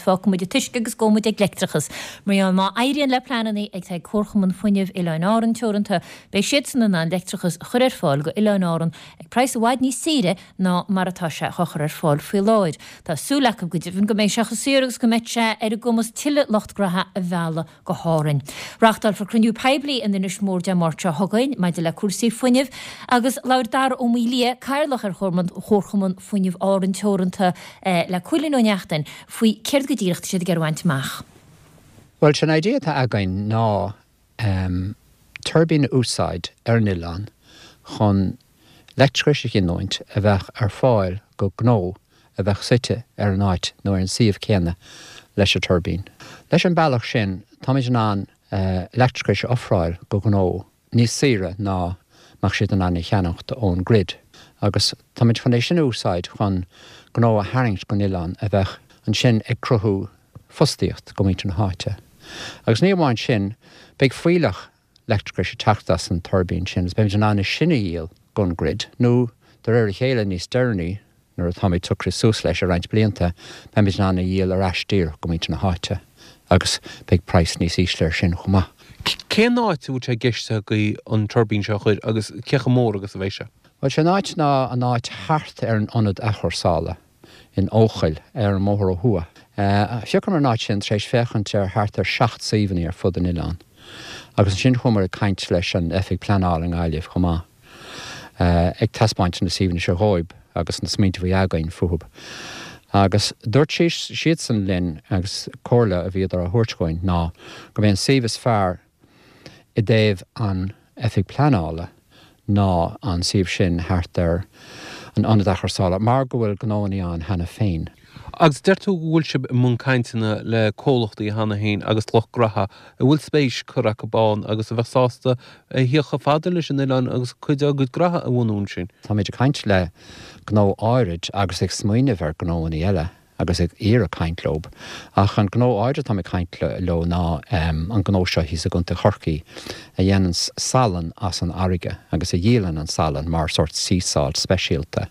muid, fágfaidh muid an t-uisce agus gabhfaidh muid ag leictreachas. Mar gheall má éiríonn le pleananna atá ag Comharchumann Fuinnimh Oileáin Árann Teoranta, beidh siadsan in ann leictreachas a chur ar fáil go Oileáin Árann ag praghas i bhfad níos saoire ná mar atá sé á chur ar fáil faoi láthair. Tá súil acu go deimhin go mbeidh sé chomh saor agus go mbeidh sé ar a gcumas tuilleadh lucht graithe a mhealladh go hÁrainn. Reáchtálfar cruinniú poiblí in Inis Mór Dé Máirt seo chugainn maidir le cúrsaí fuinnimh agus labhair Dara Ó Maolaodha, Cathaoirleach ar Chomharchumann Fuinnimh Árann Teoranta le Cóilín Ó Neachtain faoi céard go díreach tá siad ag iarraidh a bhaint amach. Bhuel, sé'n idea atá againn ná tuirbín a úsáid ar an oileán chun leictreachais a ghiniúint a bheadh ar fáil go gnó a bheadh suite ar an áit nó ar an suíomh céanna leis an tuirbín. Leis an bealach sin táimid in ann leictreachais a ofráil go gnó níos saoire ná mbeadh siad in ann a cheannacht ón grid agus táimid chun é sin a úsáid chun gnó a tharraingt gon oileán a bheadh ansin ag cruthú fostaíocht go muintir na háite. Agus ní amháin sin, beidh fuílleach leictreachais ag teacht as an tuirbín sin agus beimid in ann é sin a dhíol gon grid nó de réir a chéile níos deireanaí nuair atáimid socraithe suas leis i roinnt blianta beimid in ann a dhíol ar ais díreach go muintir na háite agus beidh praghas níos ísle ar sin chomh maith. Cén áit a bhfuil sé i gceist agaibh an tuirbín seo a chur agus cé chomh mór agus a bheidh sé? Bhuel, sé an áit ná an áit thart ar an ionad athchúrsála. in Eochaill, ar an mbóthar ó thuaidh. Phiocamar an áit sin tar éis féachaint ar thart ar sheacht suíomhanna ar fud an oileáin. Agus ansin chuamar ag caint leis an Oifig Pleanála i nGaillimh chomh maith, ag taispeáint na suíomhanna seo dhóibh agus na smaointe a bhí againn fúthub. Agus dúirt siadsan linn, agus comhairle a bhíodar á thabhairt dhúinn ná gurb é an suíomh is fearr i dtaobh an Oifig Pleanála ná an suíomh sin thart ar an ionad athchúrsála mar go bhfuil gnóannaí ann cheana féin. Agus deir tú go bhfuil sibh i mbun cainteanna le comhlachtaí cheana féin agus lucht graithe a bhfuil spéis curtha acu ann agus a bheadh sásta a thíocht chomh fada leis an oileán agus cuid dá gcuid graithe a bhunú ansin. Táimid ag caint le gnó áirid agus ag smaoineamh ar gnóannaí eile. agus ag iarraidh caint leob. Ach an gnó áirid atáim ag caint leo ná an gnó seo thíos i gContae Chorcaí a dhéananns salann as an fharraige agus a dhíolann an salann mar sórt sea salt speisialta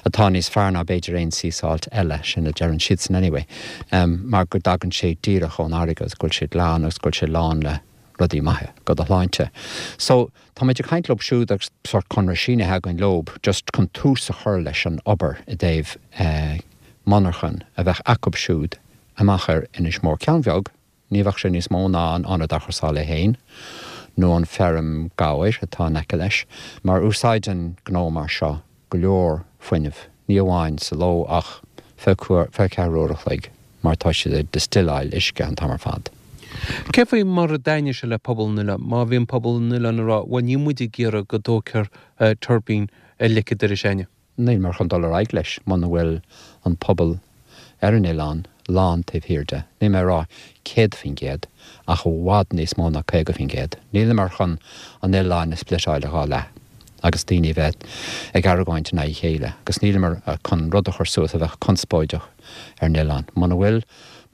atá níos fearr ná b'fhéidir aon sea salt eile, sin a deireann siadsan anyway, mar go dtagann sé díreach ón fharraige agus go bhfuil sé glan agus go bhfuil sé lán le rudaí maithe go do shláinte. So, táimid ag caint leob siúd agus sórt conradh sínithe againn leob just chun tús a chur leis an obair i dtaobh monarchan a bheadh acub siúd amach ar Inis Mór. Ceann bheag, ní bheadh sé níos mó ná an ionad athchúrsála é féin nó an feirm gabhair atá in aice leis, mar úsáideann gnó mar seo go leor fuinnimh, ní amháin sa ló ach feadh ceathrú uair a chloig mar tá siad ag distileáil uisce an t-am ar fad. Cé faoi mar a dtaitneoidh sé le pobal an oileáin? Má bhíonn pobal an oileáin ag rá, bhuel níl muid ag iarraidh go dtógfar tuirbín ar leic an dorais a'inne. Níleamar chun dul ar aghaidh leis muna bhfuil an pobal ar an oileán lán taobh thiar de. Níl mé ag rá 100% ach i bhfad níos mó ná 50%. Níleamar chun an oileán a spliteáil i dhá leath agus daoine a bheith ag argóint in aghaidh a chéile agus níleamar chun rud a chur suas a bheadh conspóideach ar an oileán. Muna bhfuil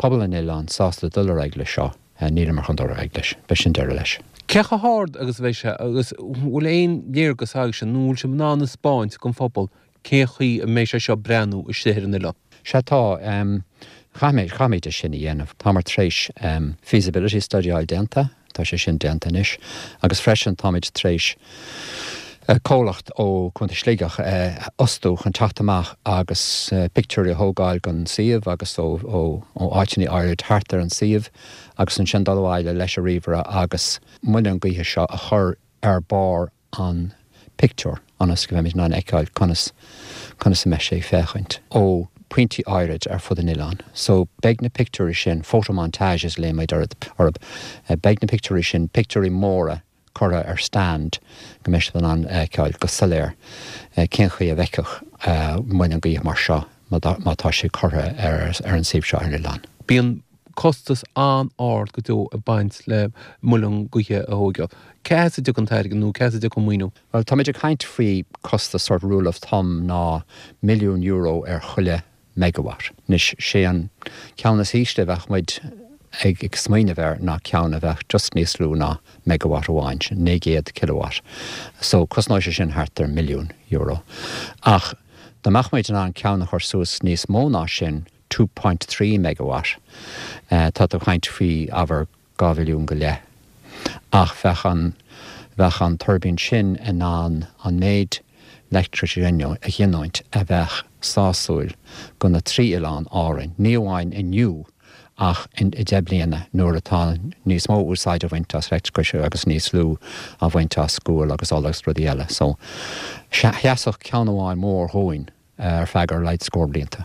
pobal an oileáin sásta dul ar aghaidh leis seo, níleamar chun dul ar aghaidh leis. Beidh sin deireadh leis. Cé chomh hard agus a bheidh sé agus bhfuil aon léargas agaibhse nó bhfuil sibh in ann a 'spáint don phobal cén chaoi a mbeidh sé seo ag breathnú istigh ar an oileán? Sea tá. Chaith caithfimid é sin a dhéanamh. Táimid tar éis feasibility study a fháil déanta, tá sé sin déanta anois, agus freisin táimid tar éis comhlacht ó Chontae Shligeach a fhostú chun teacht amach agus pictiúirí a thógáil den suíomh agus ó áiteanna áirid thart ar an suíomh agus ansin dul abhaile leis an ríomhaire agus muileann gaoithe seo a chur ar barr an pictiúr ionas go mbeimid in ann a fheiceáil conas conas a mbeidh sé ag féachaint ó pointí áirid ar fud an oileáin. So beidh na pictiúirí sin, photomontages a ghlaoimid orthu, beidh na pictiúirí sin, pictiúirí móra curtha ar stand go mbeidh siad in ann a fheiceáil go soiléir cén chaoi a bhfeicfeadh muileann gaoithe mar seo má tá sé curtha ar an suíomh seo ar an oileán. Bíonn costas an-ard go deo ag baint le muileann gaoithe a thóigeáil. Cá as a dtiocfaidh an t-airgead nó cá as a dtiocfaidh an maoiniú? Bhuel, táimid ag caint faoi costas sort rule of thumb ná milliún euro ar chuile megawatt. Anois, sé an ceann is ísle a bheadh muid ag smaoineamh air ná ceann a bheadh just níos lú ná megawatt amháin, sin 900 kilowatt. So, cosnóidh sé sin thart ar milliún euro. Ach dá mbeadh muid in ann ceann a chur suas níos mó ná sin, 2.3 megawatt, tá tú ag caint faoi ábhar 2 bhilliún go leith. Ach bheadh an, bheadh an tuirbín sin in ann an méid leictreachais a ghiniúint a bheadh sásúil go na trí oileán Árainn, ní amháin inniu ach i 10 bliana nuair atá níos mó úsáid á bhaint as leictreachas agus níos lú á bhaint as gual agus ola agus rudaí eile. So, sheasfadh ceann amháin mór dhúinn ar feadh ar a laghad scór blianta.